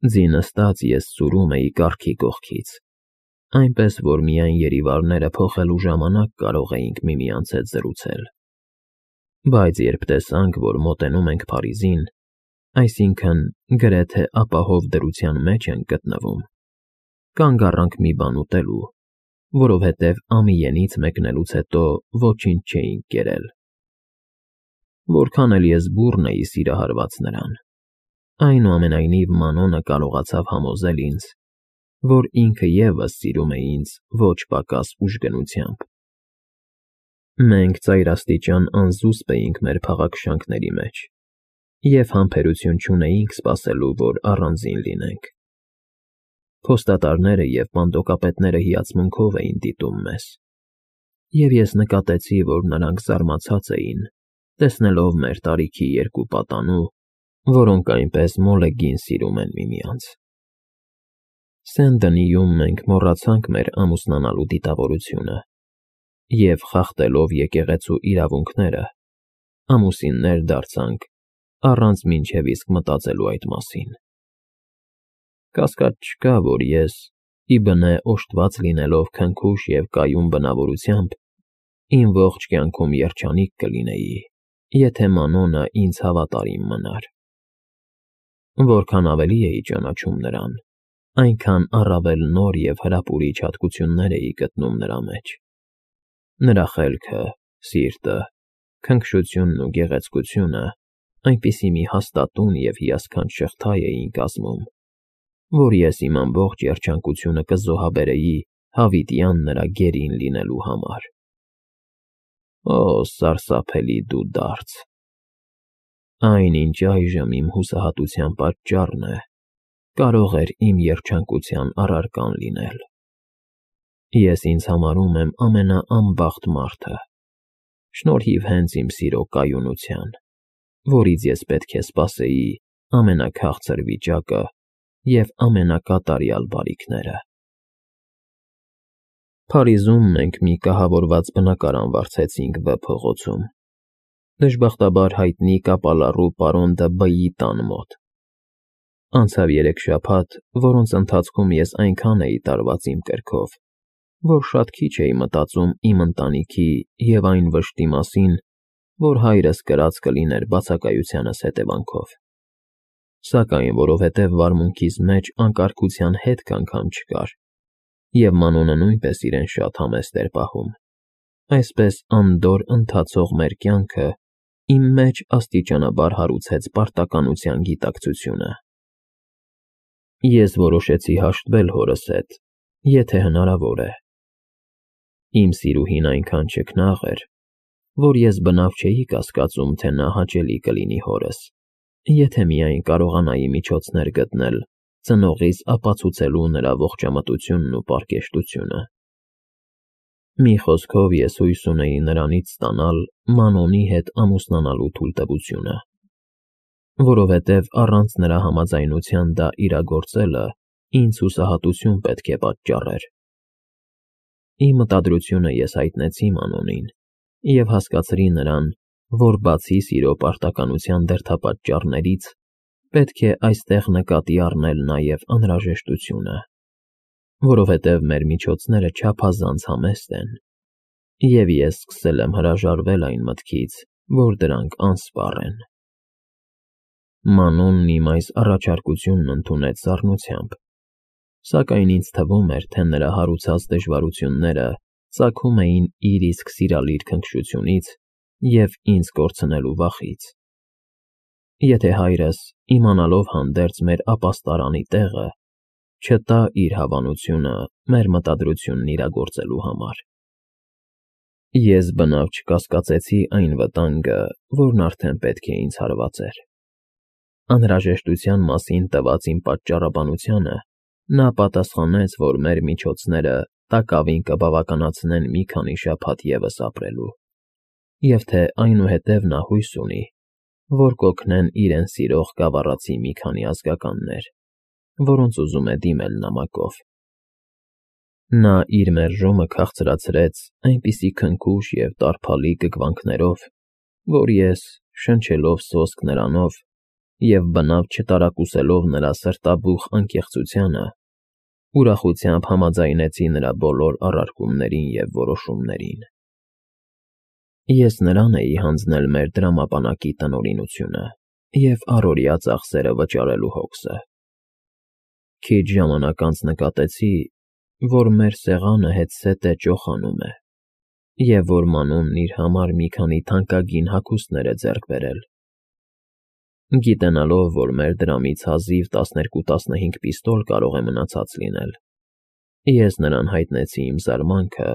Ձի նստած ես սուրում էի կառքի կողքից, այնպես, որ միայն երիվարները փոխելու ժամանակ կարող էինք միմյանց հետ զրուցել։ Բայց երբ տեսանք, որ մոտենում ենք Փարիզին, այսինքն գրեթե ապահով դրության մեջ ենք գտնվում, կանգ առանք մի բան ուտելու, որովհետև Ամիենից մեկնելուց հետո ոչինչ չէինք կերել։ Որքան էլ ես բուռն էի սիրահարված նրան, այնուամենայնիվ Մանոնը կարողացավ համոզել ինձ, որ ինքը ևս սիրում է ինձ ոչ պակաս ուժգնությամբ։ Մենք ծայրաստիճան անզուսպ էինք մեր փաղաքշանքների մեջ և համբերություն չունեինք սպասելու, որ առանձին լինենք։ Փոստատարները և պանդոկապետները հիացմունքով էին դիտում մեզ, և ես նկատեցի, որ նրանք զարմացած էին, տեսնելով մեր տարիքի երկու պատանու, որոնք այնպես մոլեգին սիրում են միմյանց։ Սեն֊Դնիում մենք մոռացանք մեր ամուսնանալու դիտավորությունը և, խախտելով եկեղեցու իրավունքները, ամուսիններ դարձանք առանց մինչև իսկ մտածելու այդ մասին։ Կասկած չկա, որ ես, ի բնե օժտված լինելով քնքուշ և կայուն բնավորությամբ, իմ ողջ կյանքում երջանիկ կլինեի, եթե Մանոնը ինձ հավատարիմ մնար։ Որքան ավելի էի ճանաչում նրան, այնքան առավել նոր և հրապուրիչ հատկություններ էի գտնում նրա մեջ։ Նրա խելքը, սիրտը, քնքշությունն ու գեղեցկությունը այնպիսի մի հաստատուն և հիասքանչ շղթա էին կազմում, որ ես իմ ամբողջ երջանկությունը կզոհաբերեի հավիտյան նրա գերին լինելու համար։ Օ, սարսափելի դու դարձ… Այն, ինչ այժմ իմ հուսահատության պատճառն է, կարող էր իմ երջանկության առարկան լինել։ Ես ինձ համարում եմ ամենաանբախտ մարդը, շնորհիվ հենց իմ սիրո կայունության, որից ես պետք է սպասեի ամենաքաղցր վիճակը և ամենակատարյալ բարիքները։ Փարիզում մենք մի կահավորված բնակարան վարձեցինք Վ փողոցում, դժբախտաբար հայտնի կապալառու պարոն Դ Բ֊ի տան մոտ։ Անցավ 3 շաբաթ, որոնց ընթացքում ես այնքան էի տարված իմ կրքով, որ շատ քիչ էի մտածում իմ ընտանիքի և այն վշտի մասին, որ հայրս կրած կլիներ բացակայությանս հետևանքով։ Սակայն որովհետև վարմունքիս մեջ անկարգության հետք անգամ չկար, և Մանոնը նույնպես իրեն շատ համեստ էր պահում, այսպես անդորր ընթացող մեր կյանքը իմ մեջ աստիճանաբար հարուցեց պարտականության գիտակցությունը։ Ես որոշեցի հաշտվել հորս հետ, եթե հնարավոր է։ Իմ սիրուհին այնքան չքնաղ էր, որ ես բնավ չէի կասկածում, թե նա հաճելի կլինի հորս, եթե միայն կարողանայի միջոցներ գտնել ծնողիս ապացուցելու նրա ողջամտությունն ու պարկեշտությունը։ Մի խոսքով, ես հույս ունեի նրանից ստանալ Մանոնի հետ ամուսնանալու թույլտվությունը, որովհետև առանց նրա համաձայնության դա իրագործելը ինձ հուսահատություն պետք է պատճառեր։ Իմ մտադրությունը ես հայտնեցի Մանոնին և հասկացրի նրան, որ բացի սիրո պարտականության դրդապատճառներից, պետք է այստեղ նկատի առնել նաև անհրաժեշտությունը, որովհետև մեր միջոցները չափազանց համեստ են, և ես սկսել եմ հրաժարվել այն մտքից, որ դրանք անսպառ են։ Մանոնն իմ այս առաջարկությունն ընդունեց սառնությամբ, սակայն ինձ թվում էր, թե նրա հարուցած դժվարությունները ծագում էին իր իսկ սիրալիր քնքշությունից և ինձ կորցնելու վախից։ Եթե հայրս, իմանալով հանդերձ մեր ապաստարանի տեղը, չտա իր հավանությունը մեր մտադրությունն իրագործելու համար։ Ես բնավ չկասկածեցի այն վտանգը, որն արդեն պետք է ինձ հարվածեր։ Անհրաժեշտության մասին տված իմ պատճառաբանությանը նա պատասխանեց, որ մեր միջոցները տակավին կբավականացնեն մի քանի շաբաթ ևս ապրելու, և թե այնուհետև նա հույս ունի, որ կօգնեն իրեն սիրող գավառացի մի քանի ազգականներ, որոնց ուզում է դիմել նամակով։ Նա իր մերժոմը քաղցրացրեց այնպիսի քնքուշ և տարփալի կգվանքներով, որ ես, շնչելով սոսկ նրանով և բնավ չտարակուսելով նրա սրտաբուխ անկեղծությանը, ուրախությամբ համաձայնեցի նրա բոլոր առարկումներին և որոշումներին։ Ես նրան էի հանձնել մեր դրամապանակի տնօրինությունը և առօրյա ծախսերը վճարելու հոգսը։ Քիչ ժամանակ անց նկատեցի, որ մեր սեղանը հետզհետե ճոխանում է, և որ Մանոնն իր համար մի քանի թանկագին հագուստներ է ձեռք բերել։ Գիտենալով, որ մեր դրամից հազիվ 12-15 պիստոլ կարող է մնացած լինել, ես նրան հայտնեցի իմ զարմանքը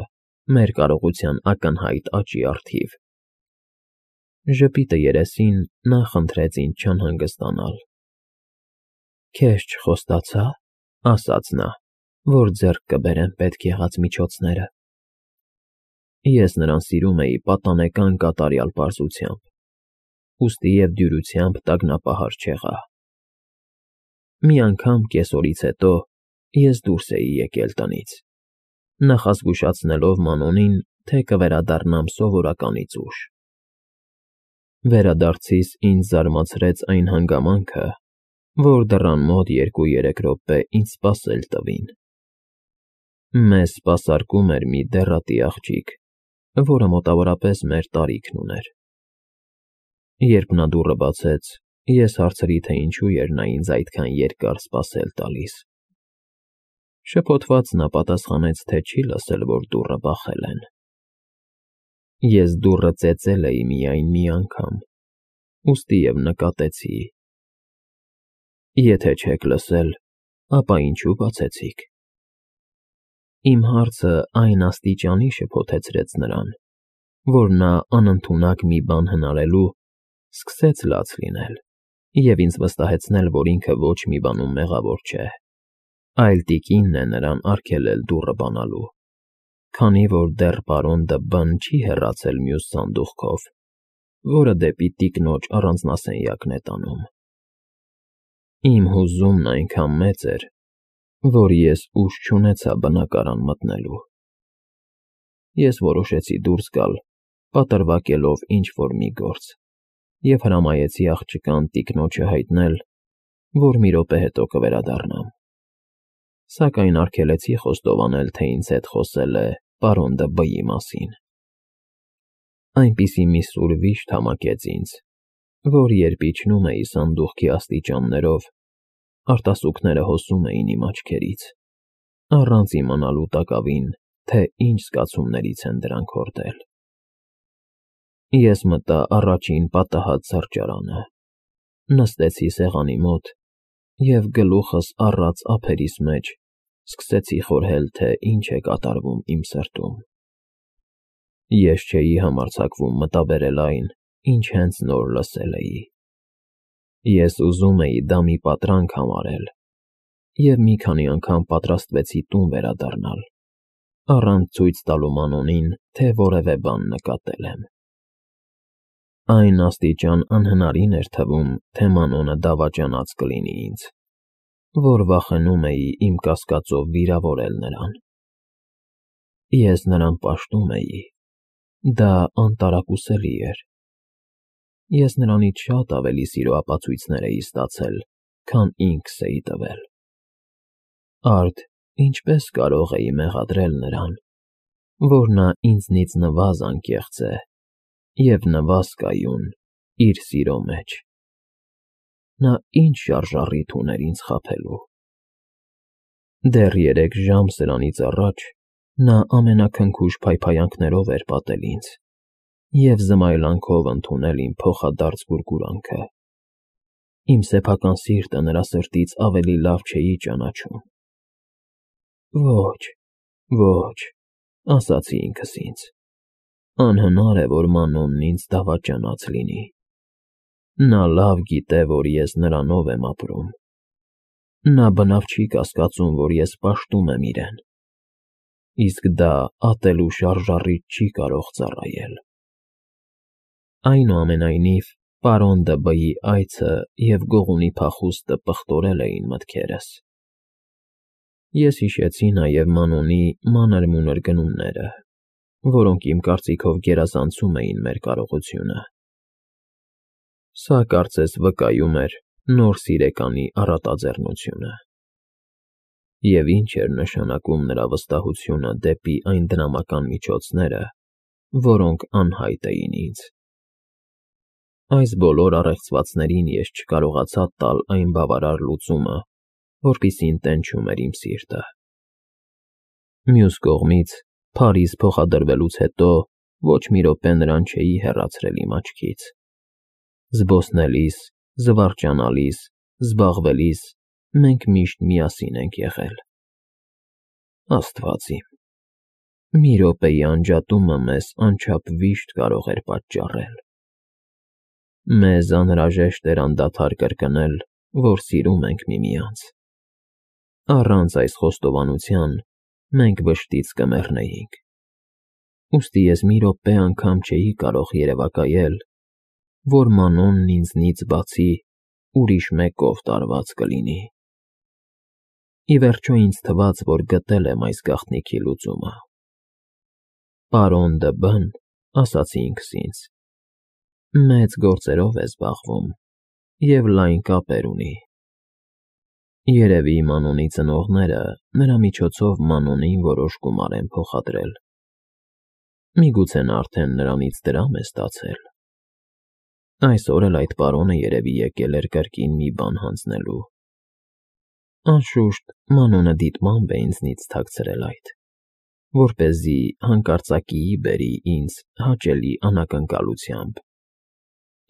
մեր կարողության ակնհայտ աճի առթիվ։ Ժպիտը երեսին նա խնդրեց ինձ չանհանգստանալ։ «Քեզ չխոստացա՞, ֊ ասաց նա, ֊ որ ձեռք կբերեմ պետք եղած միջոցները»։ Ես նրան սիրում էի պատանեկան կատարյալ պարզությամբ, ուստի և դյուրությամբ տագնապահար չեղա։ Մի անգամ կեսօրից հետո ես դուրս էի եկել տնից, նախազգուշացնելով Մանոնին, թե կվերադառնամ սովորականից ուշ։ Վերադարձիս ինձ զարմացրեց այն հանգամանքը, որ դռան մոտ 2-3 րոպե ինձ սպասել տվին։ Մեզ սպասարկում էր մի դեռատի աղջիկ, որը մոտավորապես մեր տարիքն ուներ։ Երբ նա դուռը բացեց, ես հարցրի, թե ինչու էր նա ինձ այդքան երկար սպասել տալիս։ Շփոթված նա պատասխանեց, թե չի լսել, որ դուռը բախել են։ Ես դուռը ծեծել էի միայն մի անգամ, ուստի և նկատեցի. «Եթե չեք լսել, ապա ինչու բացեցիք»։ Իմ հարցը այն աստիճանի շփոթեցրեց նրան, որ նա անընդունակ մի բան հնարելու սկսեց լաց լինել և ինձ վստահեցնել, որ ինքը ոչ մի բանում մեղավոր չէ, այլ տիկինն է նրան արգելել դուռը բանալու, քանի որ դեռ պարոն Դ'Բն չի հեռացել մյուս սանդուղքով, որը դեպի տիկնոջ առանձնասենյակն է տանում։ Իմ հուզումն այնքան մեծ էր, որ ես ուժ չունեցա բնակարան մտնելու։ Ես որոշեցի դուրս գալ, պատրվակելով ինչ-որ մի գործ, և հրամայեցի աղջկան տիկնոջը հայտնել, որ մի րոպե հետո կվերադառնամ, սակայն արգելեցի խոստովանել, թե ինձ հետ խոսել է պարոն Դ'Բի մասին։ Այնպիսի մի սուր վիշտ համակեց ինձ, որ երբ իջնում էի սանդուղքի աստիճաններով, արտասուքները հոսում էին իմ աչքերից, առանց իմանալու տակավին, թե ինչ զգացումներից են դրանք հորդել։ Ես մտա առաջին պատահած սրճարանը, նստեցի սեղանի մոտ և գլուխս առած ափերիս մեջ սկսեցի խորհել, թե ինչ է կատարվում իմ սրտում։ Ես չէի համարձակվում մտաբերել այն, ինչ հենց նոր լսել էի։ Ես ուզում էի դա մի պատրանք համարել և մի քանի անգամ պատրաստվեցի տուն վերադառնալ, առանց ցույց տալու Մանոնին, թե որևէ բան նկատել եմ։ Այն աստիճան անհնարին էր թվում, թե Մանոնը դավաճանած կլինի ինձ, որ վախենում էի իմ կասկածով վիրավորել նրան։ Ես նրան պաշտում էի, դա անտարակուսելի էր։ Ես նրանից շատ ավելի սիրո ապացույցներ էի ստացել, քան ինքս էի տվել։ Արդ ինչպե՞ս կարող էի մեղադրել նրան, որ նա ինձնից նվազ անկեղծ է և նվազ կայուն իր սիրո մեջ։ Նա ինչ շարժառիթ ուներ ինձ խաբելու։ Դեռ 3 ժամ սրանից առաջ նա ամենաքնքուշ փայփայանքներով էր պատել ինձ և զմայլանքով ընդունել իմ փոխադարձ գուրգուրանքը։ Իմ սեփական սիրտը նրա սրտից ավելի լավ չէի ճանաչում։ Ոչ, ոչ, ասացի ինքս ինձ, անհնար է, որ Մանոնն ինձ դավաճանած լինի։ Նա լավ գիտե, որ ես նրանով եմ ապրում։ Նա բնավ չի կասկածում, որ ես պաշտում եմ իրեն, իսկ դա ատելու շարժառիթ չի կարող ծառայել։ Այնուամենայնիվ, պարոն Դ'Բի այցը և գողունի փախուստը պղտորել էին մտքերս։ Ես հիշեցի նաև Մանոնի մանր-մունր գնումները, որոնք իմ կարծիքով գերազանցում էին մեր կարողությունը։ Սա կարծես վկայում էր, նոր սիրեկանի առատաձեռնությունը։ Եվ ինչ էր նշանակում նրա վստահությունը դեպի այն դրամական միջոցները, որոնք անհայտ էին ինձ։ Այս բոլոր առեղծվածներին ես չկարողացա տալ այն բավարար լուծումը, որպիսին տենչում էր իմ սիրտը։ Մյուս կողմից, Փարիզ փոխադրվելուց հետո ոչ մի րոպե նրան չէի հեռացրել իմ աչքից։ Զբոսնելիս, զվարճանալիս, զբաղվելիս մենք միշտ միասին ենք եղել։ Աստված իմ, մի րոպեի անջատումը մեզ անչափ վիշտ կարող էր պատճառել։ Մեզ անհրաժեշտ էր անդադար կրկնել, որ սիրում ենք միմյանց։ Առանց այս խոստովանության մենք վշտից կմեռնեինք։ Ուստի ես մի րոպե անգամ չէի կարող երևակայել, որ Մանոնն ինձնից բացի ուրիշ մեկով տարված կլինի։ Ի վերջո ինձ թվաց, որ գտել եմ այս գաղտնիքի լուծումը։ Պարոն Դ'Բն, ասացի ինքս ինձ, մեծ գործերով է զբաղվում և լայն կապեր ունի։ Երևի Մանոնի ծնողները նրա միջոցով Մանոնին որոշ գումար են փոխադրել։ Միգուցե նա արդեն նրանից դրամ է ստացել։ Այսօր էլ այդ պարոնը երևի եկել էր կրկին մի բան հանձնելու։ Անշուշտ, Մանոնը դիտմամբ է ինձնից թաքցրել այդ, որպեսզի հանկարծակիի բերի ինձ հաճելի անակնկալությամբ։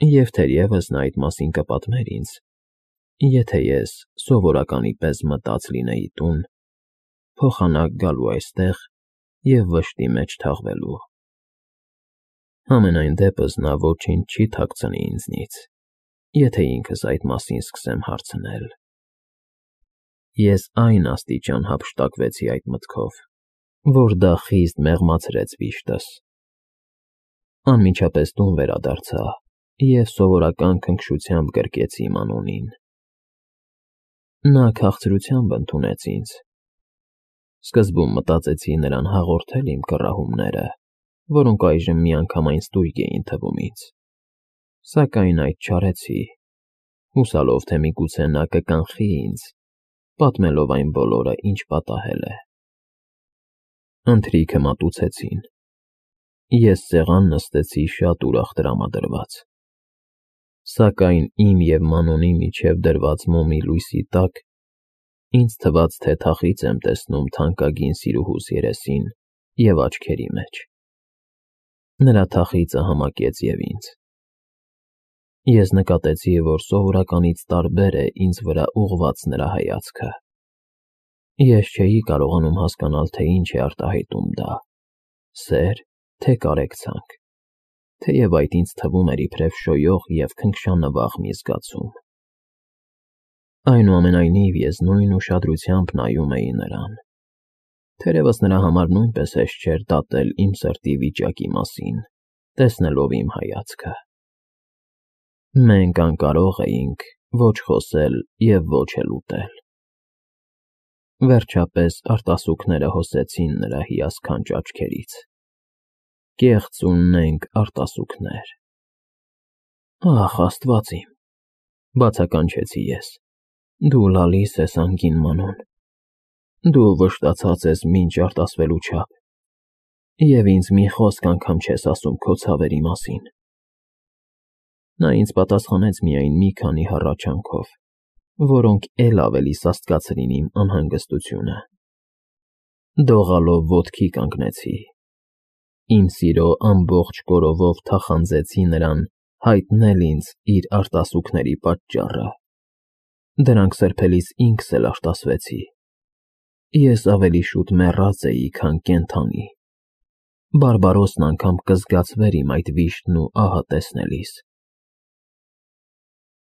Եվ թերևս նա այդ մասին կպատմեր ինձ, եթե ես սովորականի պես մտած լինեի տուն, փոխանակ գալու այստեղ և վշտի մեջ թաղվելու։ Համենայն դեպս նա ոչինչ չի թաքցնի ինձնից, եթե ինքս այդ մասին սկսեմ հարցնել։ Ես այն աստիճան հափշտակվեցի այդ մտքով, որ դա խիստ մեղմացրեց վիշտս։ Անմիջապես տուն վերադարձա և սովորական քնքշությամբ գրկեցի Մանոնին։ Նա քաղցրությամբ ընդունեց ինձ։ Սկզբում մտածեցի նրան հաղորդել իմ կռահումները, որոնք այժմ միանգամայն ստույգ էին թվում ինձ, սակայն այդ չարեցի, հուսալով, թե միգուցե նա կկանխի ինձ, պատմելով այն բոլորը, ինչ պատահել է։ Ընթրիքը մատուցեցին։ Ես սեղան նստեցի շատ ուրախ տրամադրված։ Սակայն իմ և Մանոնի միջև դրված մոմի լույսի տակ ինձ թվաց, թե թախիծ եմ տեսնում թանկագին սիրուհուս երեսին և աչքերի մեջ։ Նրա թախիծը համակեց և ինձ։ Ես նկատեցի, որ սովորականից տարբեր է ինձ վրա ուղղված նրա հայացքը։ Ես չէի կարողանում հասկանալ, թե ինչ է արտահայտում դա՝ սեր, թե կարեկցանք, թեև այդ ինձ թվում էր իբրև շոյող և քնքշանվաղ մի զգացում։ Այնուամենայնիվ ես նույն ուշադրությամբ նայում էի նրան։ Թերևս նրա համար նույնպես հեշտ չէր դատել իմ սրտի վիճակի մասին, տեսնելով իմ հայացքը։ Մենք անկարող էինք ոչ խոսել և ոչ էլ ուտել։ Վերջապես արտասուքները հոսեցին նրա հիասքանչ աչքերից։ Կեղծ ու նենգ արտասուքներ։ Ախ, Աստված իմ, բացականչեցի ես, դու լալիս ես անգին Մանոն, դու վշտացած ես մինչ արտասվելու չափ, և ինձ մի խոսք անգամ չես ասում քո ցավերի մասին։ Նա ինձ պատասխանեց միայն մի քանի հառաչանքով, որոնք էլ ավելի սաստկացրին իմ անհանգստությունը։ Դողալով ոտքի կանգնեցի։ Իմ սիրո ամբողջ կորովով թախանձեցի նրան հայտնել ինձ իր արտասուքների պատճառը։ Դրանք սրբելիս ինքս էլ արտասվեցի։ Ես ավելի շուտ մեռած էի, քան կենդանի։ Բարբարոսն անգամ կզգացվեր իմ այդ վիշտն ու ահը տեսնելիս։